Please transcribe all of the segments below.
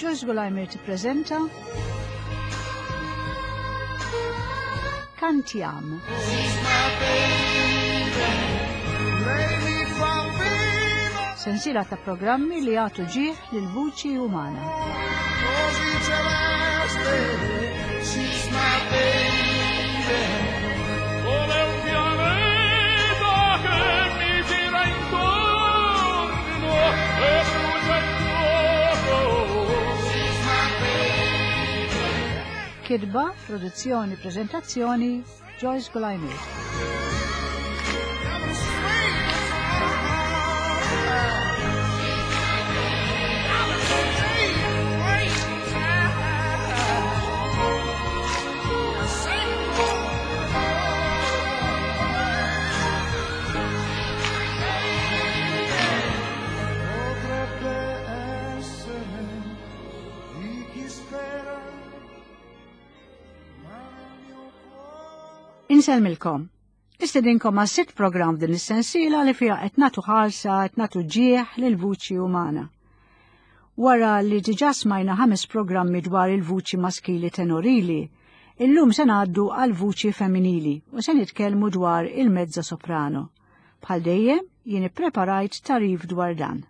Joyce Gulajmir tippreżenta Kantjam. Sensiela ta' programmi li jagħtu ġieħ lil vuċi umana. Kidba, produzzjoni, prezentazzjoni, Joyce Gulajmir. Insellmilkom. Nistedinkom għas sitt programm din is-sensiela li fiha qed nagħtu ħarsa qed nagħtu ġieħ lil vuċi umana. Wara li diġà smajna ħames programmi dwar il-vuċi maskili tenorili, illum se ngħaddu għal vuċi femminili u se nitkellmu dwar il-mezzo soprano. Bħal dejjem, jien ippreparajt tarif dwar dan.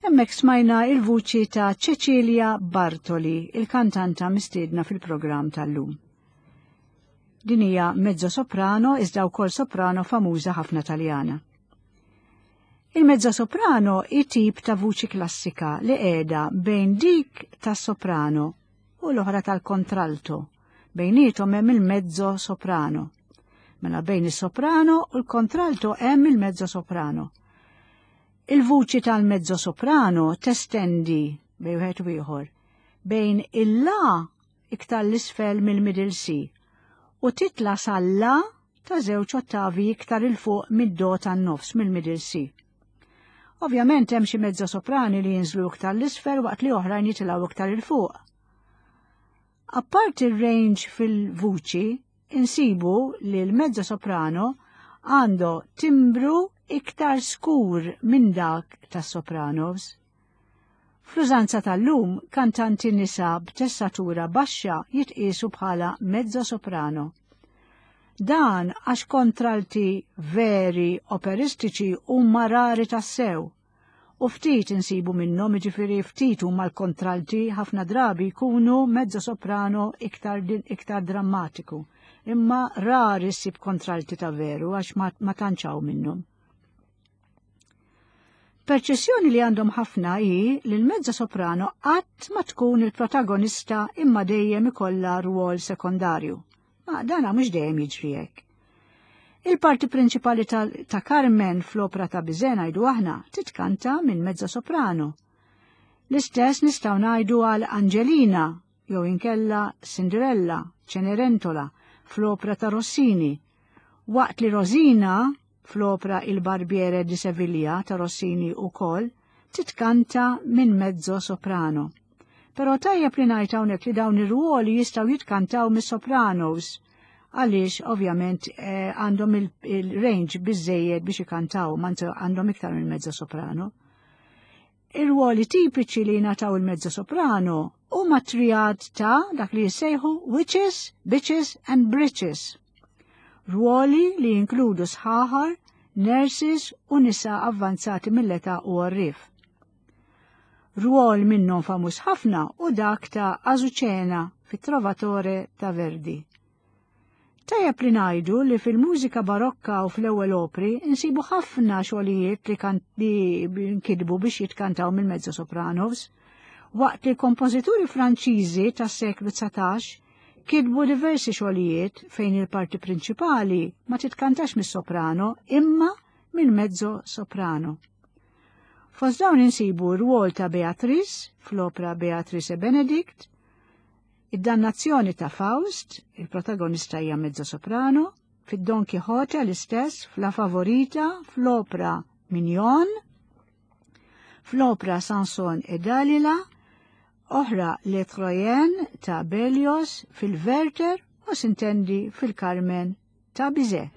Hemmhekk smajna il-vuċi ta' Cecilia Bartoli, il-kantanta mistiedna fil-programm tal-lum. Din hija mezzo soprano iżda wkoll soprano famuża ħafna Taljana. Il-mezzo soprano hi tip ta' vuċi klassika li qiegħda bejn dik tas-soprano u l-oħra tal-kontralto. Bejnietom hemm il-mezzo soprano. Mela bejn is-soprano u l-kontralto hemm il-mezzo soprano. Il-vuċi tal-mezzo soprano testendi bejn wieħed u ieħor bejn il-la iktar l-isfel mill-middle C u titla sal-la ta' żewġ ottavi iktar 'il fuq mid-do tan-nofs mill-middle C. Ovvjament hemm xi mezzo soprani li jinżlu iktar l-isfel waqt li oħrajn jitilgħu iktar 'il fuq. Apparti r-range fil-vuċi, insibu li l-mezzo soprano għandu timbru iktar skur minn dak tas-sopranos. Fl-użanza tal-lum, kantanti nisa b'tessatura baxxa jitqiesu bħala mezzo soprano. Dan għax kontralti veri operistiċi huma rari tassew. U ftit insibu minnhom, jiġifieri ftit huma l-kontralti ħafna drabi jkunu mezzo soprano iktar, iktar drammatiku. Imma rari ssib kontralti ta' veru għax ma, ma tantx minnhom. Perċessjoni li għandhom ħafna hi li l-mezza soprano qatt ma tkun il-protagonista imma dejjem ikollha rwol sekondarju. Ma dana mhux dejjem jiġri hekk. Il-parti prinċipali ta', ta Carmen fl-opra ta' Bizet ngħidu aħna titkanta minn mezza soprano. L-istess nistgħu ngħidu għal Angelina jew inkella Cinderella, Cenerentola fl-opra ta' Rossini, waqt li Rosina fl-opra Il Barbiere di Seviglia ta' Rossini ukoll titkanta minn mezzo soprano. Però tajjeb li ngħid hawnhekk li dawn ir-ruoli jistgħu jitkantaw mis-sopranos għaliex ovvjament eh, għandhom il-range biżejjed biex ikantaw, ma għandhom iktar minn mezzo soprano. Ir-ruoli tipiċi li jingħataw il-mezzo soprano huma triad ta' dak li jissejħu witches, bitches and britches. Ruoli li jinkludu sħaħar, nurses u nisa avvanzati mill-età u għorrief. Rwol minnhom famuż ħafna u dak ta' Azucena fit-Trovatore ta' Verdi. Tajjeb li ngħidu li fil-mużika barokka u fl-ewwel opri insibu ħafna xogħlijiet li kan li nkitbu biex jitkantaw mill-mezzo sopranos, waqt li kompożituri Franċiżi tas-seklu 19 kitbu diversi xogħlijiet fejn il-parti prinċipali ma titkantax mis-soprano imma mill-mezzo soprano. Fost dawn insibu r-rwol ta' Beatrice fl-opra Beatrice e Benedict, Id-Dannazzjoni ta' Faust, il-protagonista hija mezzo soprano, fid-Don Quixote l-istess, f'La Favorita, fl-opra Mignon, fl-opra Sanson e Dalila, oħra Le Troyen ta' Berlioz, fil-Werther u sintendi fil-Carmen ta' Bizet.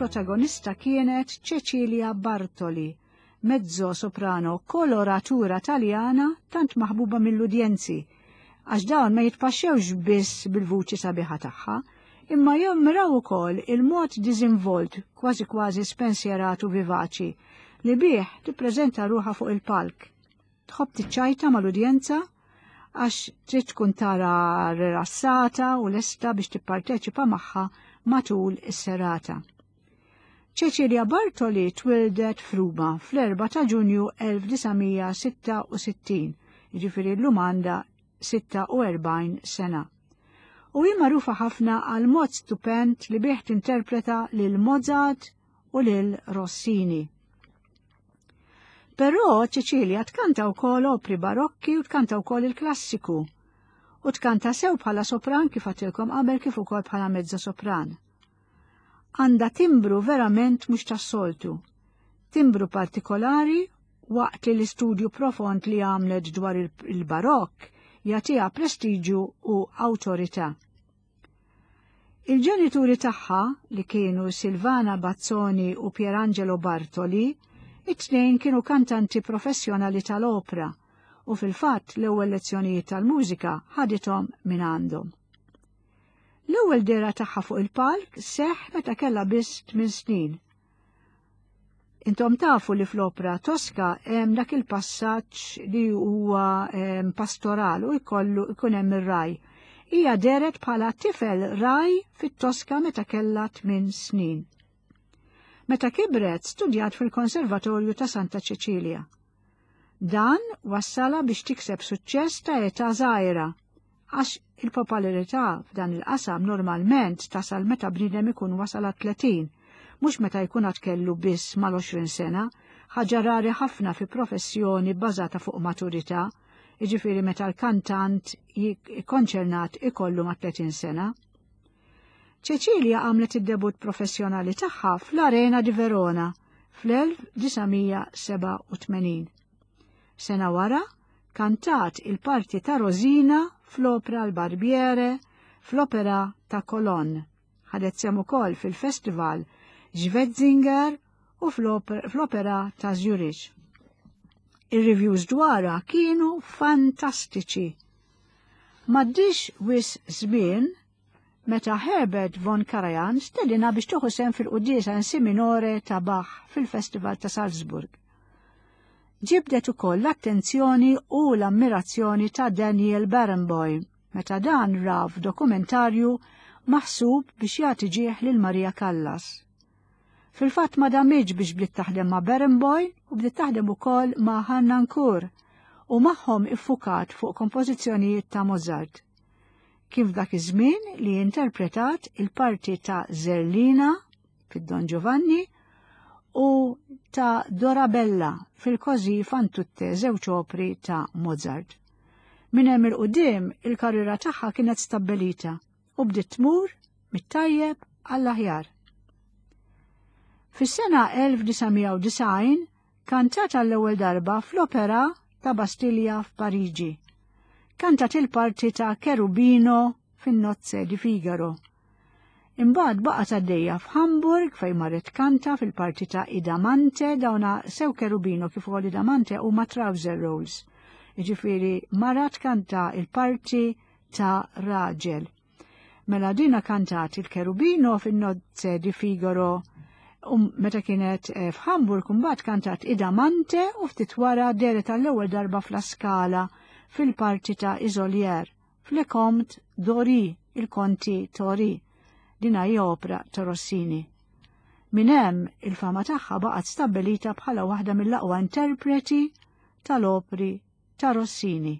Il-protagonista kienet Cecilia Bartoli, mezzo soprano koloratura taljana tant maħbuba mill-udjenzi, għax dawn ma jitpaxxewx biss bil-vuċi sabiħa tagħha, imma jomraw ukoll il-mod diżinvolt, kważi kważi spensjerat u vivaċi, li bih tippreżenta ruħha fuq il-palk. Tħobb tiċċajta mal-udjenza għax trid tkun tara rilassata u lesta biex tipparteċipa magħha matul is-serata. Cecilia Bartoli twildet f'Ruma fl-4 ta' Ġunju 1966, jiġifieri llum għandha 46 sena. U hi magħrufa ħafna għal mod stupend li bih tinterpreta lil Mozart u lil Rossini. Però Cecilia tkanta wkoll opri barokki u tkanta wkoll il-klassiku. U tkanta sew bħala sopran kif għatilkom qabel kif ukoll bħala mezzo sopran. Għandha timbru verament mhux tas-soltu. Timbru partikolari waqt li l-istudju profond li għamlet dwar il-barokk jagħtiha prestiġu u awtorità. Il-ġenituri tagħha, li kienu Silvana Bazzoni u Pierangelo Bartoli, it-tnejn kienu kantanti professjonali tal-opra u fil-fatt l-ewwel lezzjonijiet tal-mużika ħadithom minn għandhom. L-ewwel dehra tagħha fuq il-palk seħħ meta kellha biss tmien snin. Intom tafu li fl-opra Tosca hemm dak il-passaġġ li huwa pastoral u jkollu jkun hemm ir-raj. Hija dehret bħala tifel raj fit-Tosca meta kellha tmien snin. Meta kibret studjat fil-Konservatorju ta' Santa Ċeċilja. Dan wassala biex tikseb suċċess ta' età żgħira, għax il-popolarità f'dan il-qasam normalment tasal meta bniedem ikun wasal għat-30, mhux meta jkun għad kellu biss mal-20 sena, ħaġa rari ħafna fi professjoni bbażata fuq maturità, jiġifieri meta l-kantant konċernat ikollu ma' 30 sena. Cecilia għamlet id-debut professjonali tagħha fl-Arena di Verona fl-1987. Sena wara, kantat il-parti ta' Rosina fl-opra L-Barbiere fl-opera ta' Colonne. Ħadet sehem ukoll fil-Festival Schwetzinger u fl-opera ta' Zurich. Ir-reviews dwarha kienu fantastiċi. M'għaddiex wisq żmien meta Herbert von Karajan stedinha biex tieħu sehem fil-quddiesa in si minore ta' Bach fil-Festival ta' Salzburg. Ġibdet ukoll l-attenzjoni u l-ammirazzjoni ta' Daniel Barenboim meta dan ra f'dokumentarju maħsub biex jagħti ġieħ lil Maria Callas. Fil-fatt ma damitx biex bdiet taħdem ma' Barenboim u bdiet taħdem ukoll ma' Harnoncourt u magħhom iffukat fuq kompożizzjonijiet ta' Mozart. Kien f'dak iż-żmien li interpretat il-parti ta' Zerlina fid-Don Giovanni u ta' Dorabella fil-Così fan tutte żewġ opri ta' Mozart. Minn hemm il-qudiem il-karriera tagħha kienet stabbilita u bdiet tmur mit-tajjeb għall-aħjar. Fis-sena 1990 kantat għall-ewwel darba fl-Opera ta' Bastilja f'Pariġi. Kantat il-parti ta' Cherubino fin-Nozze di Figaro. Imbagħad baqgħet għaddejja f'Hamburg fejn marret kanta fil-parti ta' Idamante dawna sew Cherubino kif ukoll Idamante huma trouser roles. Jiġifieri mara tkanta il-parti ta' raġel. Mela dina kantat il-Cherubino fin-Nozze di Figaro. U meta kienet eh, f'Hamburg mbagħad kantat Idamante u ftit wara dehret għall-ewwel darba fl-Scala fil-parti ta' Isolier f'Le Comte Dori, il-Konti Tori. Din hi opra ta' Rossini. Minn hemm il-fama tagħha baqgħet stabbilita bħala waħda mill-aqwa interpreti tal-opri ta' Rossini.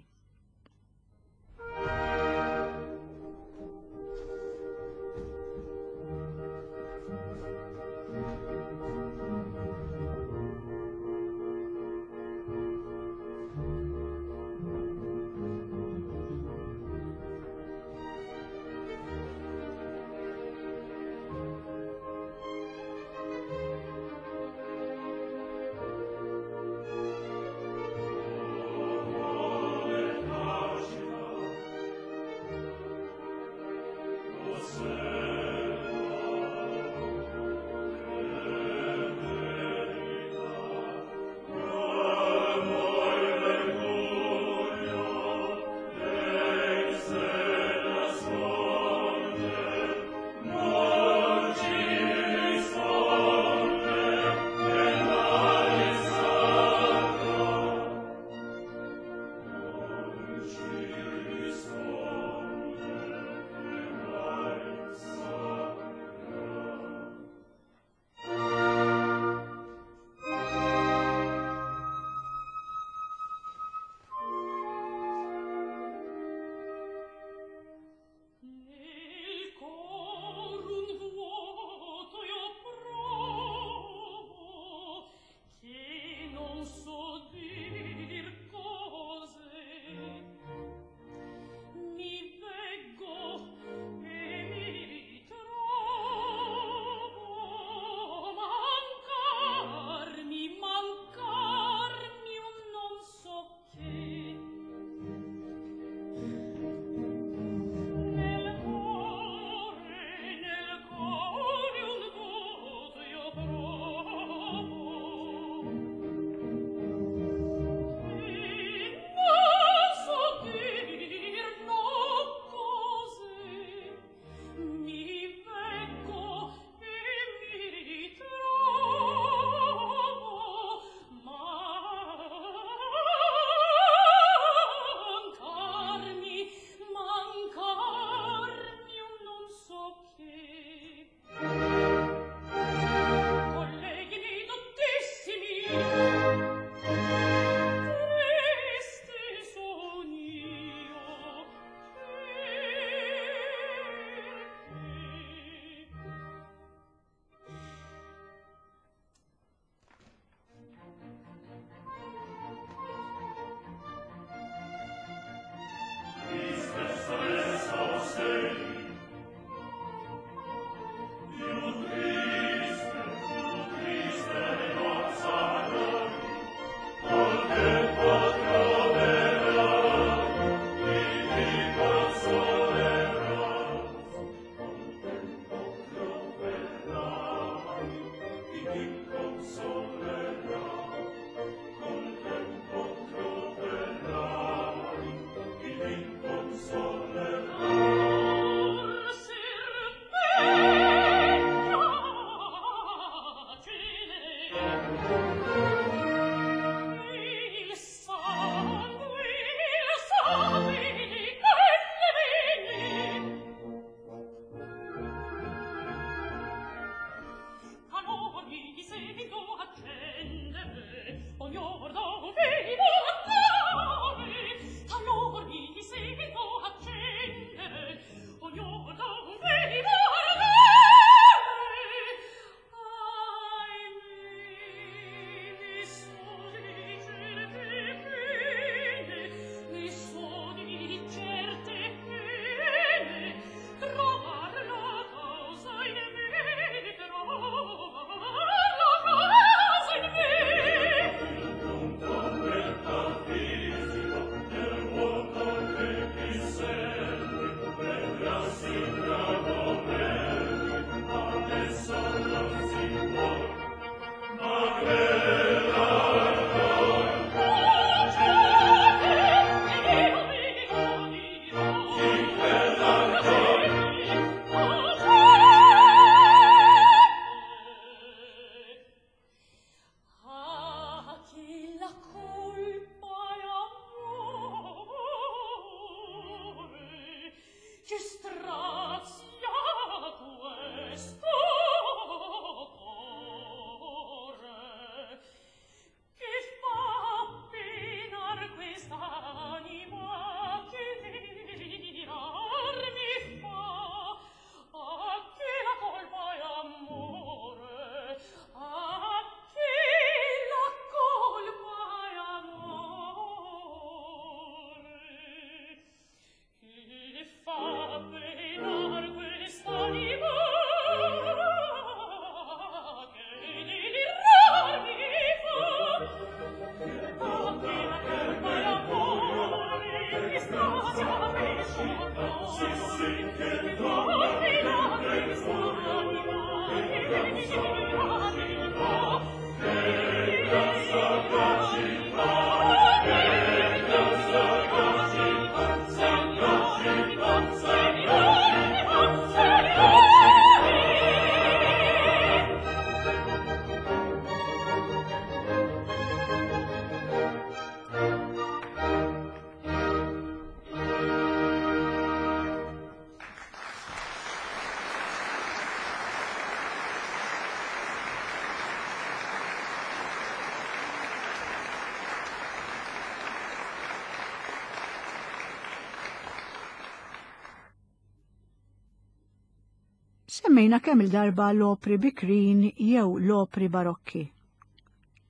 Semmejna kemm il-darba l-opri bikrin jew l-opri barokki.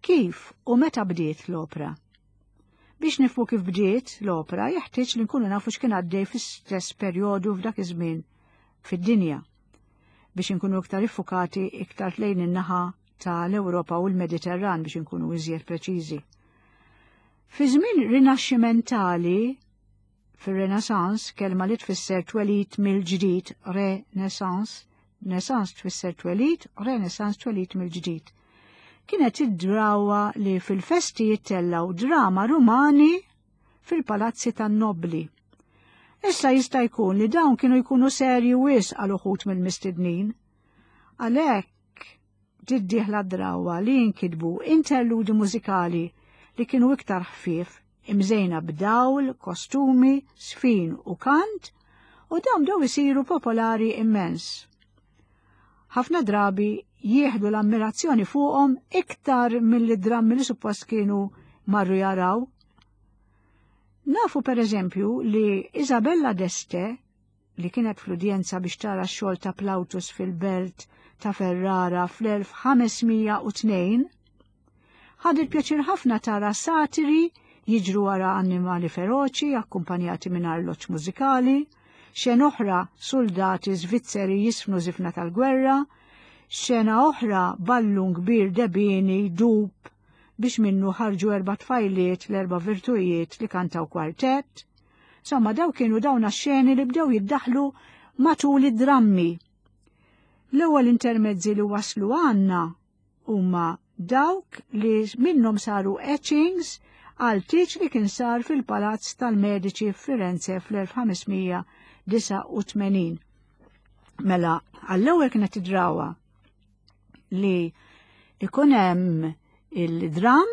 Kif u meta bdiet l-opra? Biex nifmu kif bdiet l-opra, jeħtieġ li nkunu nafu x'kien għaddej fl-istess perjodu f'dak iż-żmien fid-dinja biex inkunu iktar iffukati iktar lejn in-naħa tal-Ewropa u l-Mediterran biex inkunu iżjed preċiżi. Fi żmien rinaxximentali, fir-Renaissance, kelma li tfisser twelid mill-ġdid, Renaissance, Renaissance tfisser twelid, Renaissance twelid mill-ġdid. Kienet id-drawa li fil-festi jittellaw drama rumani fil-palazzi tan-nobbli. Issa jista' jkun li dawn kienu jkunu serji wisq għal uħud mill-mistednin. Għalhekk tiddieħla drawa li jinkitbu interludi mużikali li kienu iktar ħfief, imżejna b'dawl, kostumi, sfin u kant, u dawn bdew isiru popolari immens. Ħafna drabi jieħdu l-ammirazzjoni fuqhom iktar milli drammi li suppost kienu marru jaraw. Nafu per eżempju li Isabella d'Este, li kienet fl-udjenza biex tara x-xogħol ta' Plautus fil-belt ta' Ferrara fl-1502, ħadet pjaċir ħafna tara satiri jiġru wara annimali feroċi akkumpanjati minn arloġġ mużikali, xena oħra soldati Svizzeri jisfnu żifna tal-gwerra, xena oħra ballun kbir debini dub biex minnu ħarġu erba' tfajliet l-erba' virtujiet li kantaw kwartett. Insomma, daw kienu dawn xeni li bdew jiddaħlu matul id-drammi. L-ewwel intermezzi li waslu għandna huma dawk li minnhom saru etchings għal tieġ li kien sar fil-Palazz tal-Mediċi f'Firenze fl-1589. Mela, għall-ewwel kienet id-drawa li ikun hemm il-dram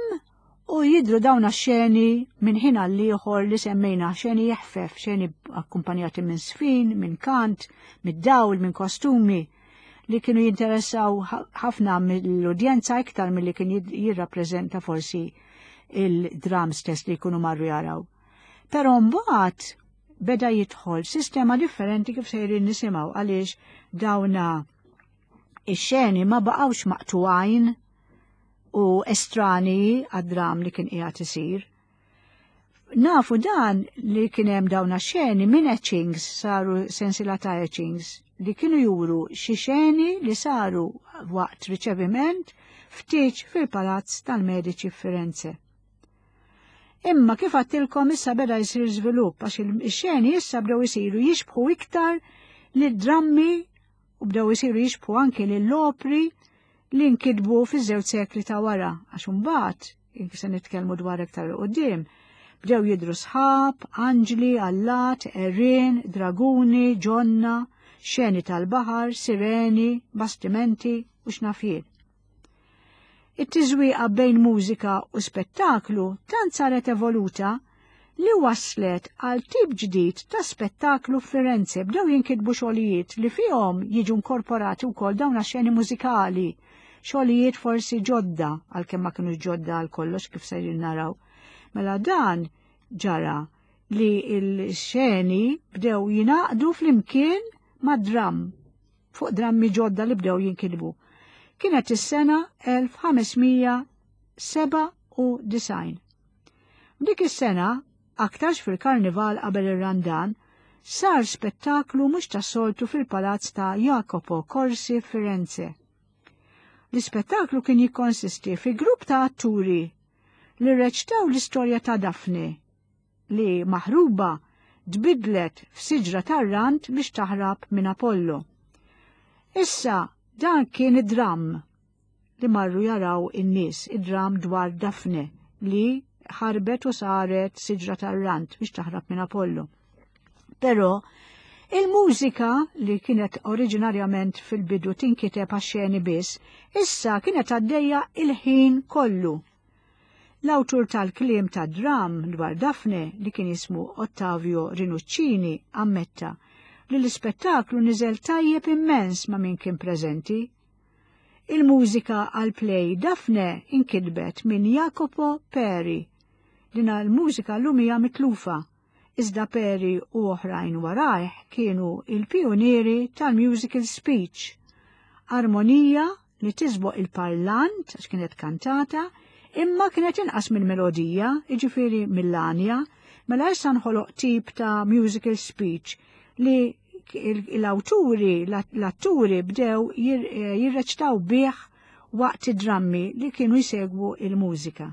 u jidru dawn xeni minn ħin għal ieħor li semmejna xeni jeħfef, xeni akkumpanjati minn sfin, minn kant, mid-dawl, minn kostumi li kienu jinteressaw ħafna mill-udjenza iktar milli kien jirrappreżenta forsi il-dram stess li jkunu marru jaraw. Però mbagħad beda jidħol sistema differenti kif sejrin nisimgħu għaliex dawna ix-xeni ma baqgħux maqtugħin u estrani għad-dram li kien qiegħed isir. Nafu dan li kien hemm dawn xeni minn etchings saru sensila ta' etchings li kienu juru xi xeni li saru waqt riċeviment ftit fil-Palazz tal-Mediċi f'Firenze. Imma kif għattilkom issa beda jsir żvilupp għax il-xeni issa bdew isiru jixbħu iktar lid drammi u bdew isiru jixbħu anki lill-opri li nkitbu fiż-żewġ sekli ta' wara, għax imbagħad, se nitkellmu dwar iktar 'il quddiem, bdew jidhru sħab, anġli, allat, għerien, draguni, ġonna, xeni tal-baħar, sireni, bastimenti u x'naf jien. It-tiżwieqa bejn mużika u spettaklu tant saret evoluta li wasslet għal tip ġdid ta' spettaklu f'Firenze bdew jinkitbu xogħlijiet li fihom jiġu nkorporati wkoll dawn xeni mużikali, xogħlijiet forsi ġodda għalkemm ma kinux ġodda għal kollox kif sejrin naraw. Mela dan ġara li l-xeni bdew jingħaqdu flimkien mad-dramm fuq drammi ġodda li bdew jinkitbu. Kienet is-sena 1597. Dik is-sena, aktarx fil-karnival qabel ir-Randan, sar spettaklu mhux tas-soltu fil-palazz ta' Jacopo Corsi Firenze. L-ispettaklu kien jikkonsisti fi grupp ta' atturi li reċtaw l-istorja ta' Daphne li maħruba tbiddlet f'siġra tar-rand biex taħrab minn Apollo. Issa, Dan kien id-dramm li marru jaraw in-nies, id-dramm dwar Dafne li ħarbet u saret siġra tar-rant biex taħrab minn Apollo. Però il-mużika li kienet oriġinarjament fil-bidu tinkiteb għax-xeni biss, issa kienet għaddejja il-ħin kollu. L-awtur tal-kliem tad-dramm dwar Dafne li kien jismu Ottavio Rinuccini ammetta li l-ispettaklu niżel tajjeb immens ma' min kien preżenti. Il-mużika għall-play Dafne inkitbet minn Jacopo Peri. Dina l-mużika llum hija mitlufa, iżda Peri u oħrajn warajh kienu il-pijunieri tal-musical speech, armonija li tisboq il-parlant, għax kienet kantata, imma kienet inqas mill-melodija, jiġifieri mill-għanja, mela issa nħoloq tip ta' musical speech li l-awturi, l-atturi bdew eh, jirreċtaw bih waqt id-drammi li kienu jsegwu il-mużika.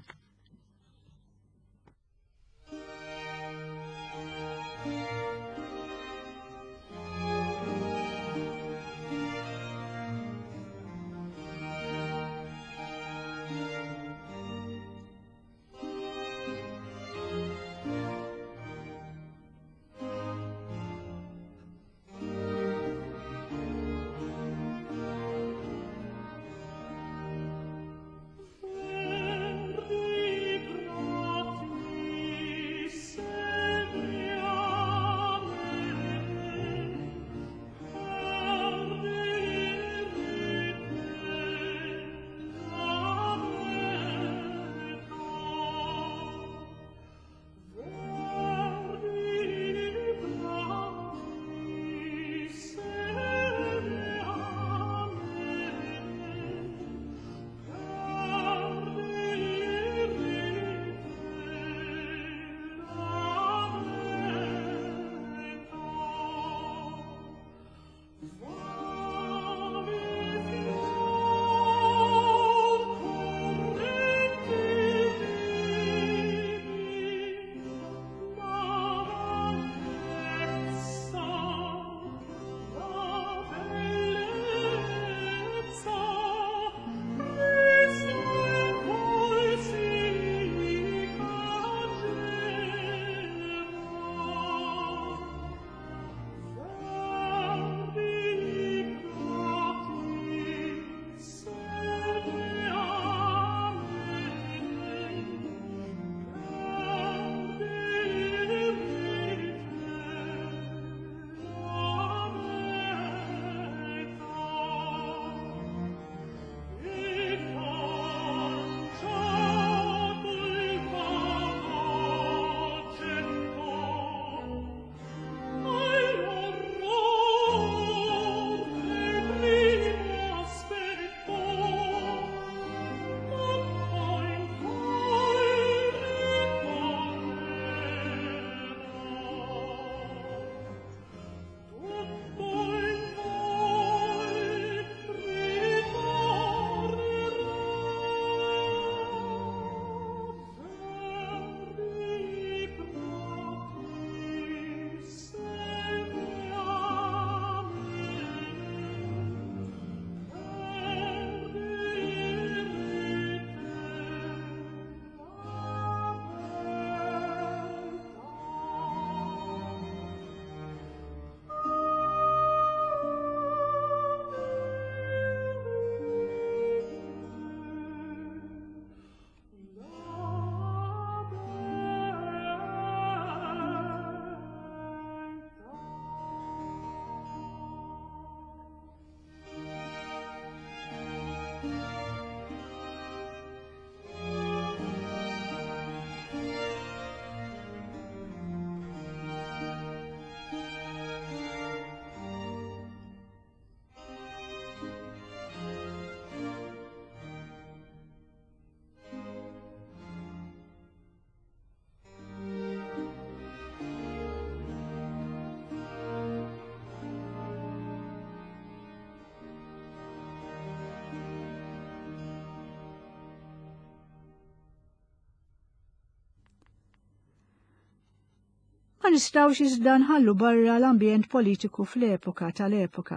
Ma nistgħux iżda nħallu barra l-ambjent politiku fl-epoka tal-epoka.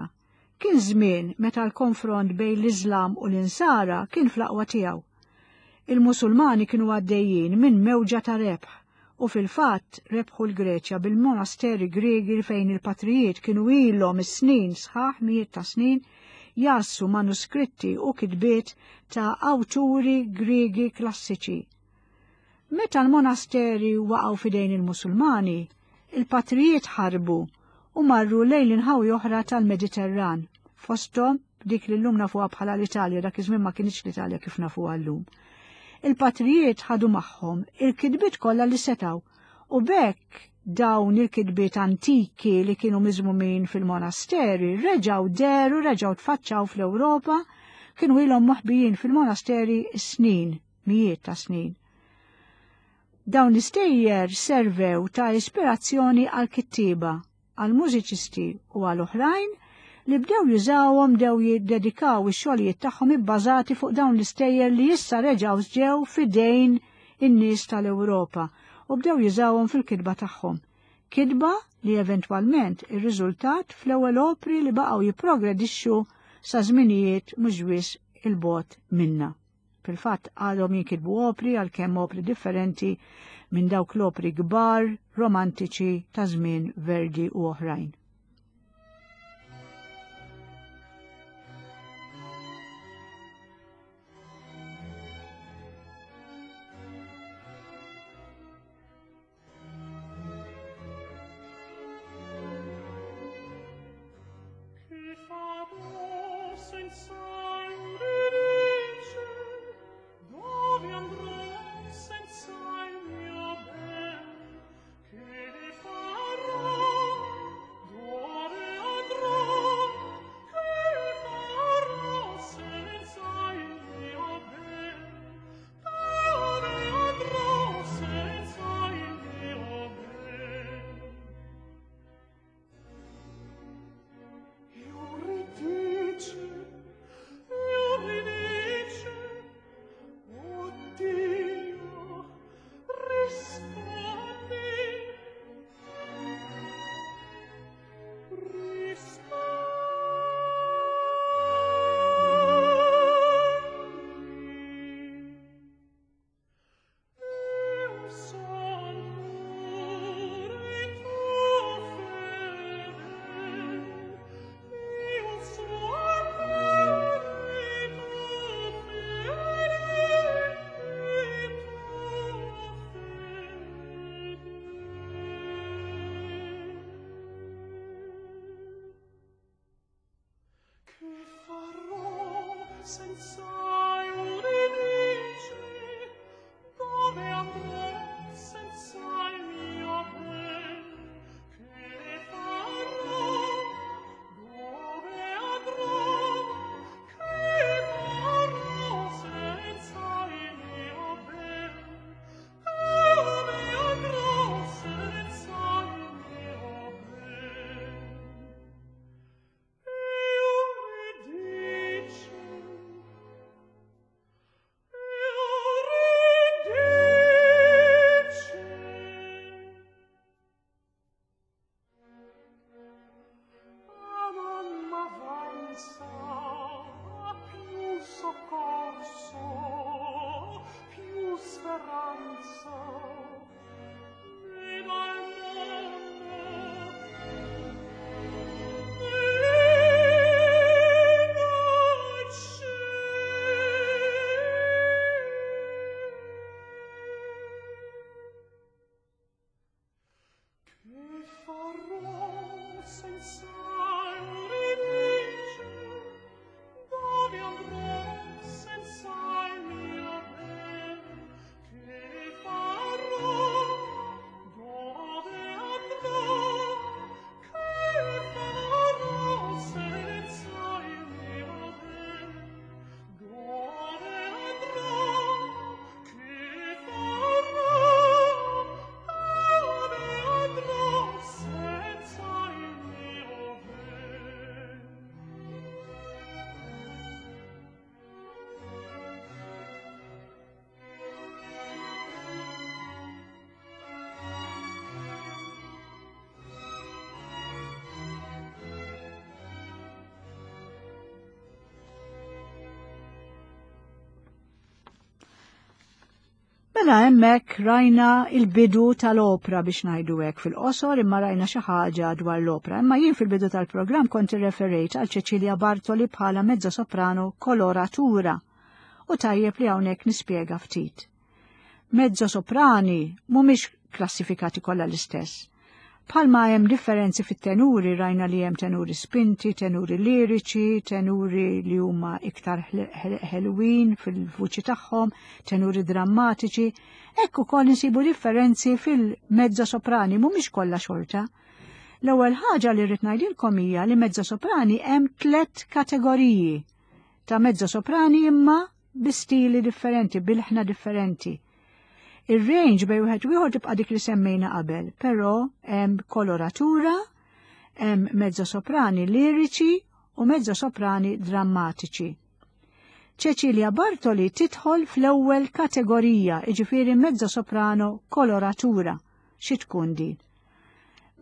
Kien żmien meta l-konfront bejn l-Iżlam u l-Insara kien fl-aqwa tiegħu. Il-Musulmani kienu għaddejjin minn mewġa ta' rebħ u fil-fatt rebħu l-Greċja bil-monasteri Griegi fejn il-patrijiet kienu ilhom is-snin sħaħ mijiet ta' snin jassu manuskritti u kitbiet ta' awturi Griegi klassiċi. Meta l-monasteri waqgħu f'idejn il-Musulmani, il-patrijiet ħarbu u marru lejn l-inħawi oħra tal-Mediterran, fosthom dik li llum nafuha bħala l-Italja, dak iż-żmien ma kinitx l-Italja kif nafuha llum. Il-patrijiet ħadu magħhom il-kitbiet kollha li setgħu u b'hekk dawn il-kitbiet antiki li kienu miżmumin fil-monasteri reġgħu dehru, reġgħu tfaċċaw fl-Ewropa, kienu ilhom moħbijin fil-monasteri snin, mijiet ta' snin. Dawn l-istejjer servew ta' ispirazzjoni għal kittieba, għal mużiċisti u għal oħrajn li bdew jużawhom bdew jiddedikaw ix-xogħlijiet tagħhom ibbażati fuq dawn l-istejjer li issa reġgħu ġew f'idejn in-nies tal-Ewropa u bdew jużawhom fil-kitba tagħhom. Kitba li eventwalment irriżultat fl-ewwel opri li baqgħu jipprogredixxu sa żminijiet mhux wisq il-bogħod minna. Fil-fatt għadhom jinkitbu opri għalkemm opri differenti minn dawk l-opri kbar romantiċi ta' żmien Verdi u oħrajn. Mela hemmhekk rajna il-bidu tal-opra biex ngħidu hekk fil-qosor imma rajna xi ħaġa dwar l-opra. Imma jien fil-bidu tal-programm kont irreferejt għal Cecilia Bartoli bħala mezzo soprano koloratura u tajjeb li hawnhekk nispjega ftit. Mezzo soprani mhumiex klassifikati kollha l-istess. Bħalma hemm differenzi fit-tenuri, rajna li hemm tenuri spinti, tenuri liriċi, tenuri li huma iktar ħelwin fil-vuċi tagħhom, tenuri drammatiċi, hekk ukoll insibu differenzi fil-mezzo soprani mhumiex kollha xorta. L-ewwel ħaġa li rrid ngħidilkom hija li mezzo soprani hemm tliet kategoriji ta' mezzo soprani imma bi stili differenti, bilħna differenti. Ir-range bej wieħed u ieħor tibqa' dik li semmejna qabel, però hemm koloratura, hemm mezzo soprani liriċi u mezzo soprani drammatiċi. Cecilia Bartoli tidħol fl-ewwel kategorija, jiġifieri mezzo soprano koloratura. Xi tkun din?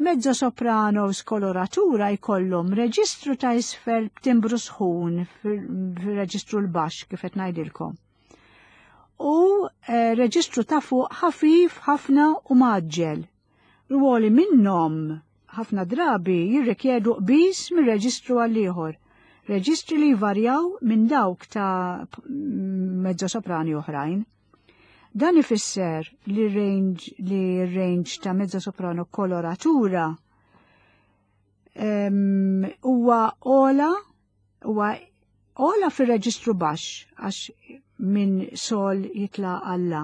Mezzo soprano skoloratura jkollhom reġistru ta' isfel b'timbru sħun fir-reġistru l-baxx kif qed ngħidilkom. U eh, reġistru ta' fuq ħafif ħafna u maġġel. Rwoli minnhom ħafna drabi jirrikjedu qbiż mir-reġistru għal ieħor. Reġistri li jvarjaw minn dawk ta' mezzo soprani oħrajn. Dan ifisser li range li range ta' mezzo soprano koloratura huwa ola huwa ola fir-reġistru baxx għax minn sol jitla' għalla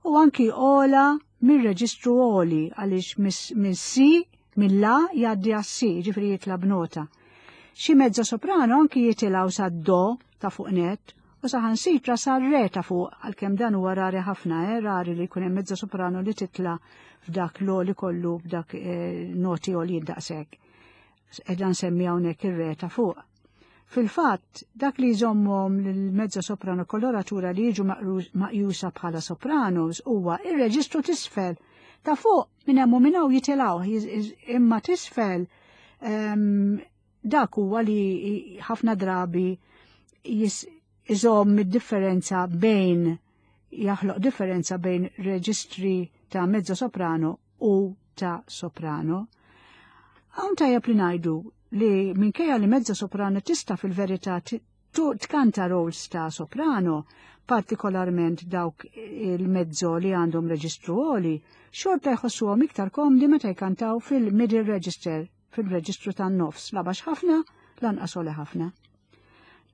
u anki ola minn reġistru oli għaliex minn si minn la jgħaddi għas-si, ġifri jitla' b'nota. Xi mezzo soprano anki jitilgħu sa do ta' fuq net u saħansitra sa re ta' fuq għalkemm dan huwa rari ħafna, eh, rari li jkun hemm mezzo soprano li titla' f'dak l-oli kollu f'dak eh, noti oli daqshekk. Edha nsemmi hawnhekk ir-re ta' fuq. Fil-fatt, dak li jżommhom lil-mezzo soprano koloratura li jiġu maqjusa bħala sopranos huwa ir-reġistru t'isfel ta' fuq minn hemm u minn hawn jitilgħu imma t'isfel ehm, dak huwa li ħafna drabi iżomm id-differenza bejn jaħloq differenza bejn reġistri ta' mezzo soprano u ta' soprano. Hawn tajjeb li ngħidu li minkejja li mezzo soprano tista' fil-verità tkanta roles ta' soprano, partikolarment dawk il-mezzo li għandhom reġistru għoli, xorta jħossuhom iktar komdi meta jkantaw fil-middle register, fil-reġistru tan-nofs, la baxx ħafna, lanqas għoli ħafna.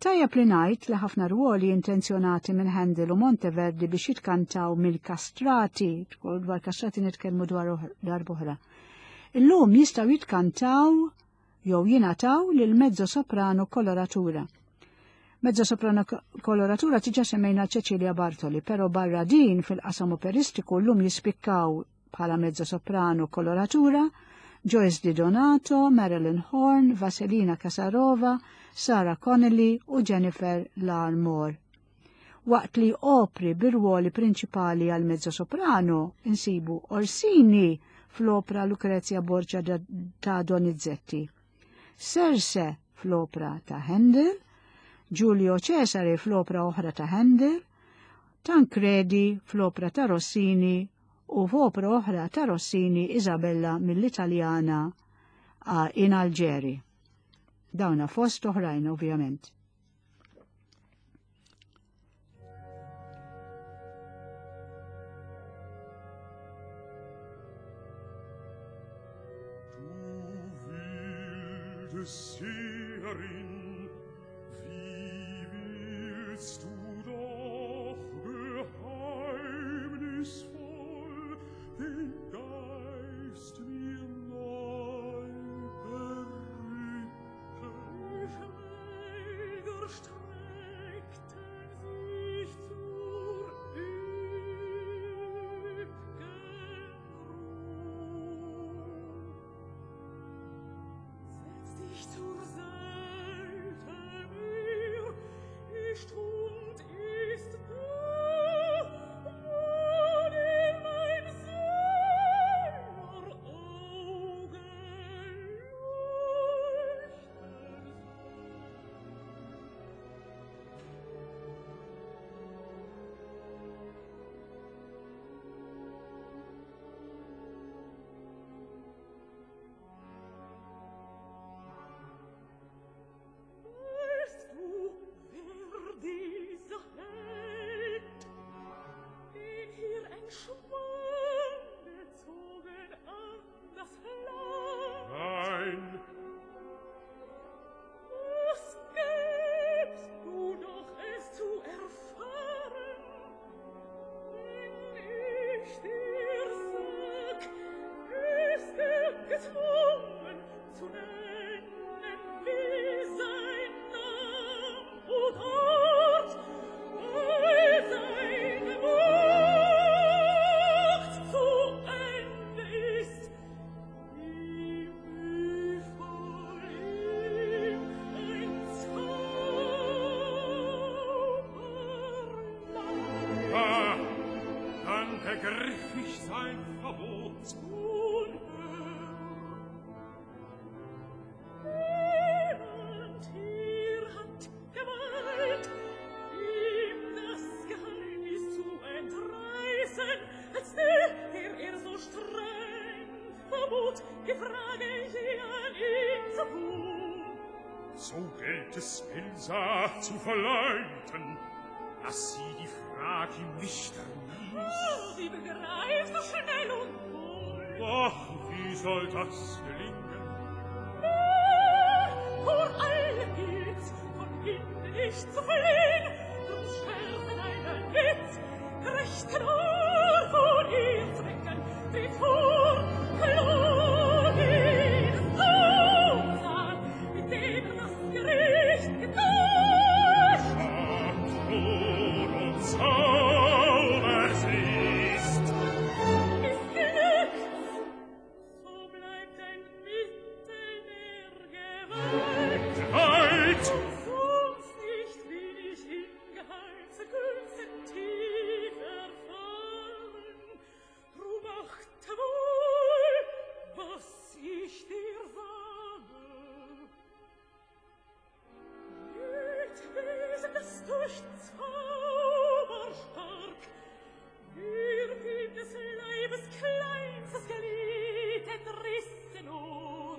Tajjeb li ngħid li ħafna rwoli intenzjonati minn Handel u Monteverdi biex jitkantaw mill-kastrati, dwar kastrati nitkellmu dwar darb'oħra. Illum jistgħu jitkantaw jew jingħataw lil mezzo soprano koloratura. Mezzo soprano koloratura tiġa semmejna Cecilia Bartoli, però barra din fil-qasam operistiku llum jispikkaw bħala mezzo soprano koloratura Joyce Di Donato, Marilyn Horn, Vaselina Kasarova, Sarah Connolly u Jennifer Larmore. Waqt li opri bir-rwoli prinċipali għal mezzo soprano insibu Orsini fl-opra Lucrezia Borgia ta' Donizetti, Serse fl-opra ta' Handel, Giulio Cesare fl-opra oħra ta' Handel, Tancredi fl-opra ta' Rossini u f'opra oħra ta' Rossini Isabella mill-Italjana in Alġeri. Dawna fost oħrajn ovvjament. Du Seherin, wie willst du doch geheimnisvoll den Geist mir neu berücken? Die Schläger streckten sich zur üpp'gen Ruh. Setz dich zur Seite. Begriff ich sein Verbot. Nun hör! Niemand hier hat Gewalt, ihm das Geheimnis zu entreißen, als der, der er so streng verbot, die Frage je an ihm zu tun. So gilt es Elsa zu verleiten, dass sie die Frage ihm nicht erwies. Oh, sie begreift so schnell und wohl. Doch wie soll das gelingen? Vor allem gilt's, von hinnen nicht zu fliehn, drum schärfe deinen Witz, gerechten Ohr von ihr zu wecken, tritt vor, klug ihn Susan, mit dem er das Gericht getäuscht. Patron und Zaubers ist. Missglückt, so bleibt ein Mittel der Gewalt. Gewalt! Und sonst nicht will ich in geheimsten Künsten tief erfahren. Drum achte wohl, was ich dir sage. Jedwesen, das durch Zauber stark wird ihm des Leibes kleinstes Glied entrissen nur,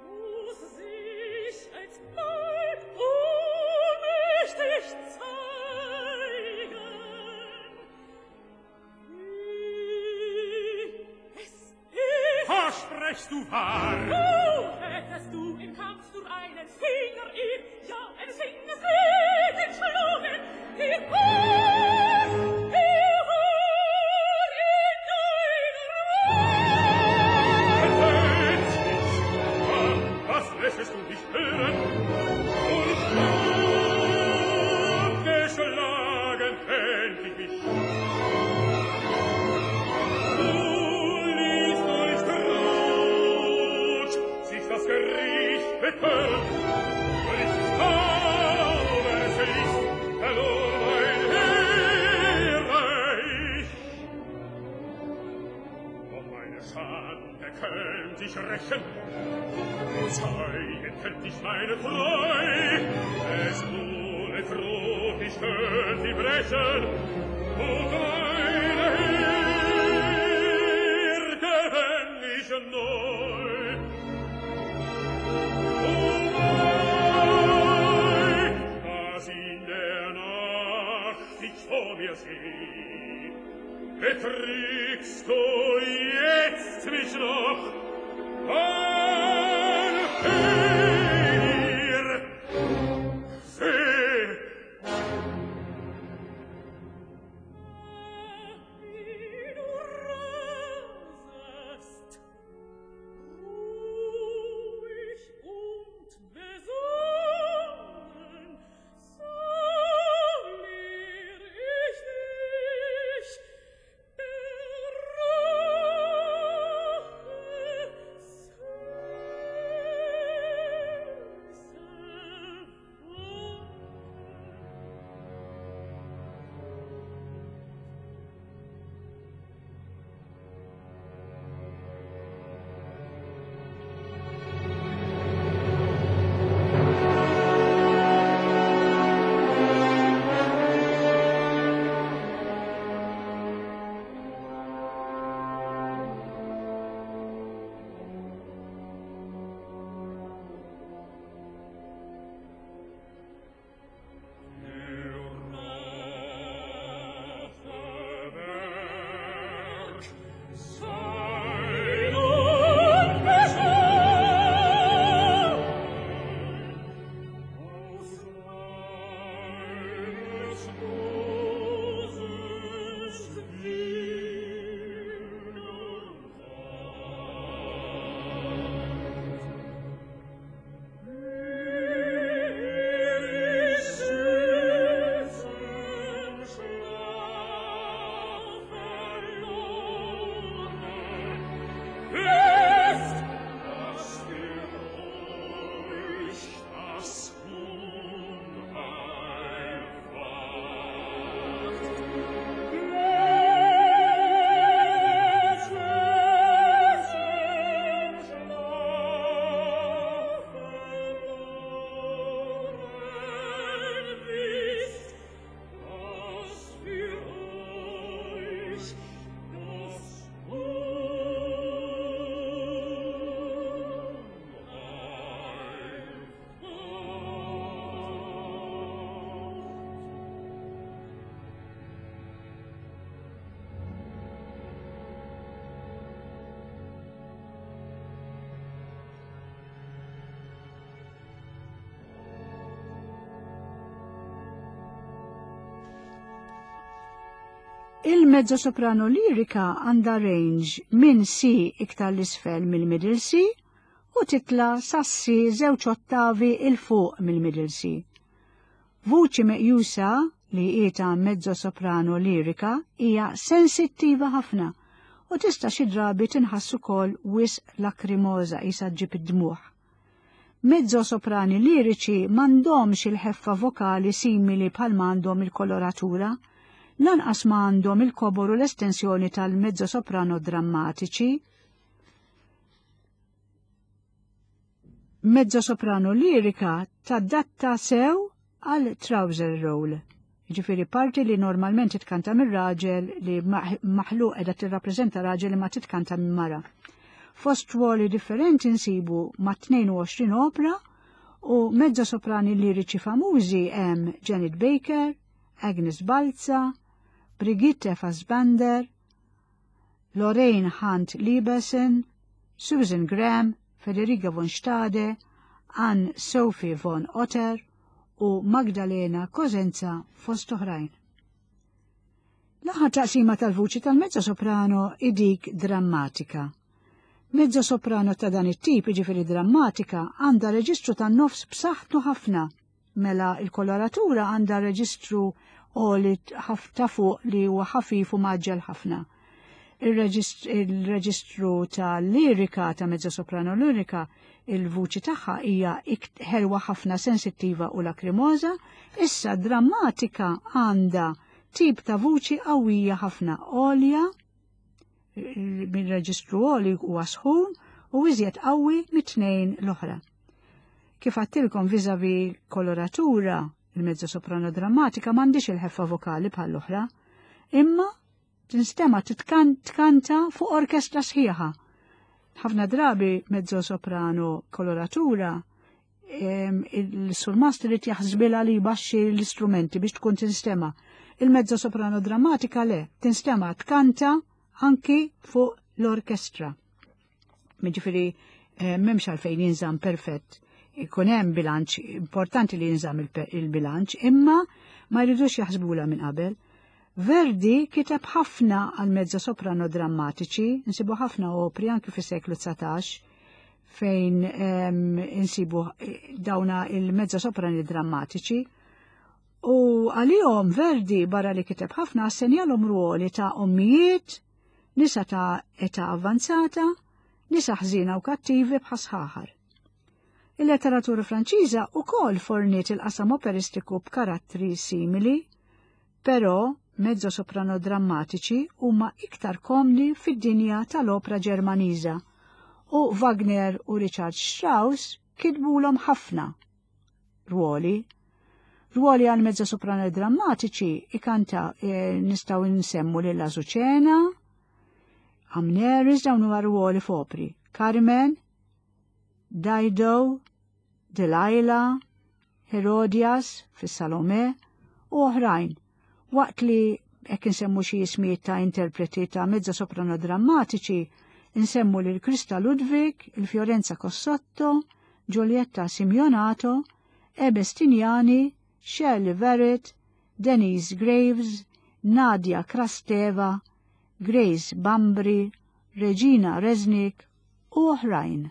muss sich alsbald ohnmächtig zeigen. Wie es ist. Versprechst du wahr? Oh, hättest du im Kampf nur einen Finger ihm, ja, eines Fingers Glied entschlungen, dir es, er war in deiner Macht. Entsetzt mich! Ah, was lässest du dich hören? Und geschlagen fänd ich mich. Du liest durch Trut, sich das Gericht betört. Durch Zaubers List verlor mein Ehre ich. Doch meine Schande könnt ich rächen, zeigen könnt ich meine Treu. Es ohne Trug ich könnt sie brechen, und meine Heer gewänn ich neu. O wei, was in der Nacht ich vor mir seh, betrügst du jetzt mich noch? An dir, seh! Wie du rasest, ruhig und besonnen, so lehr ich dich der Rache selig. Il-mezzo soprano lirika għandha range minn C iktar l-isfel mill-middle C u titla sa C żewġ ottavi il fuq mill-middle C. Vuċi meqjusa li hi ta' mezzo soprano lirika hija sensittiva ħafna u tista' xi drabi tinħass ukoll wisq lakrimoża qisha ġġib id-dmugħ. Mezzo-soprani liriċi m'għandhomx il-ħeffa vokali simili bħal m'għandhom il-koloratura, lanqas ma għandhom il-kobor u l-estensjoni tal-mezzo-soprano drammatiċi. Mezzo-soprano lirika tadatta sew għal trouser role. Ġifieri parti li normalment titkanta mir raġel li maħluq qiegħda tirrappreżenta raġel li ma titkanta minn mara. Fost ruoli differenti nsibu ma' 22 opra u mezzo soprani liriċi famużi hemm Janet Baker, Agnes Balza, Brigitte Fassbander, Lorraine Hunt Lieberson, Susan Graham, Federica von Stade, Ann Sophie von Otter u Magdalena Cosenza fost oħrajn. L-aħħar taqsima tal-vuċi tal-mezzo soprano idik drammatika. Mezzo soprano ta' dan it-tip, jiġifieri drammatika, għandha reġistru tan-nofs b'saħħtu ħafna Mela il-koloratura għandha reġistru għoli ta' fuq li huwa ħafif u maġġel ħafna. Il-reġistru ta' lirika ta' mezzo soprano lirika il-vuċi tagħha hija ħelwa ħafna sensittiva u lakrimoża, issa drammatika għandha tip ta' vuċi qawwija ħafna għolja minn reġistru għoli huwa sħun u iżjed qawwi mit-tnejn l-oħra. Kif għattilkom vizavi koloratura, il-mezzo soprano drammatika m'għandix il-ħeffa vokali bħall-oħra, imma tinstema tkanta fuq orkestra sħiħa. Ħafna drabi mezzo soprano koloratura il-surmast irid jaħsbilha li jbaxxi l-istrumenti biex tkun tinstema. Il-mezzo soprano drammatika le, tinstema tkanta anki fuq l-orkestra. Jiġifieri eh, m'hemmx għalfejn jinżamm perfett. Ikun hemm bilanċ, importanti li jinżamm il-bilanċ, imma ma jridux jaħsbula minn qabel. Verdi kiteb ħafna għal mezzo soprano drammatiċi, nsibu ħafna opri anki fis-seklu 19 fejn insibu eh, dawna il-mezzo soprani drammatiċi. U għalihom Verdi barra li kiteb ħafna assenjalhom ruoli ta' ommijiet, nisa ta' età avvanzata, nisa ħżina u kattivi bħasħaħar. Il-letteratura Franċiża ukoll forniet il-qasam operistiku b'karattri simili, Però, mezzo-soprano drammatiċi huma iktar komdi fid-dinja tal-opra Ġermaniża u Wagner u Richard Strauss kitbulhom ħafna rwoli. Rwoli għal mezzo-soprano drammatiċi ikanta e, nistgħu nsemmu lil Azucena, Amneris dawn huma rwoli f'opri. Carmen, Dido, Delilah, Herodias fis-Salome u oħrajn, waqt li hekk insemmu xi ismijiet ta' interpreti ta' mezza soprano drammatiċi, insemmu lil Krista Ludwig, il-Fiorenza Cossotto, Giulietta Simionato, Ebe Stignani, Shirley Verrett, Denise Graves, Nadia Krasteva, Grace Bambri, Regina Resnick u oħrajn.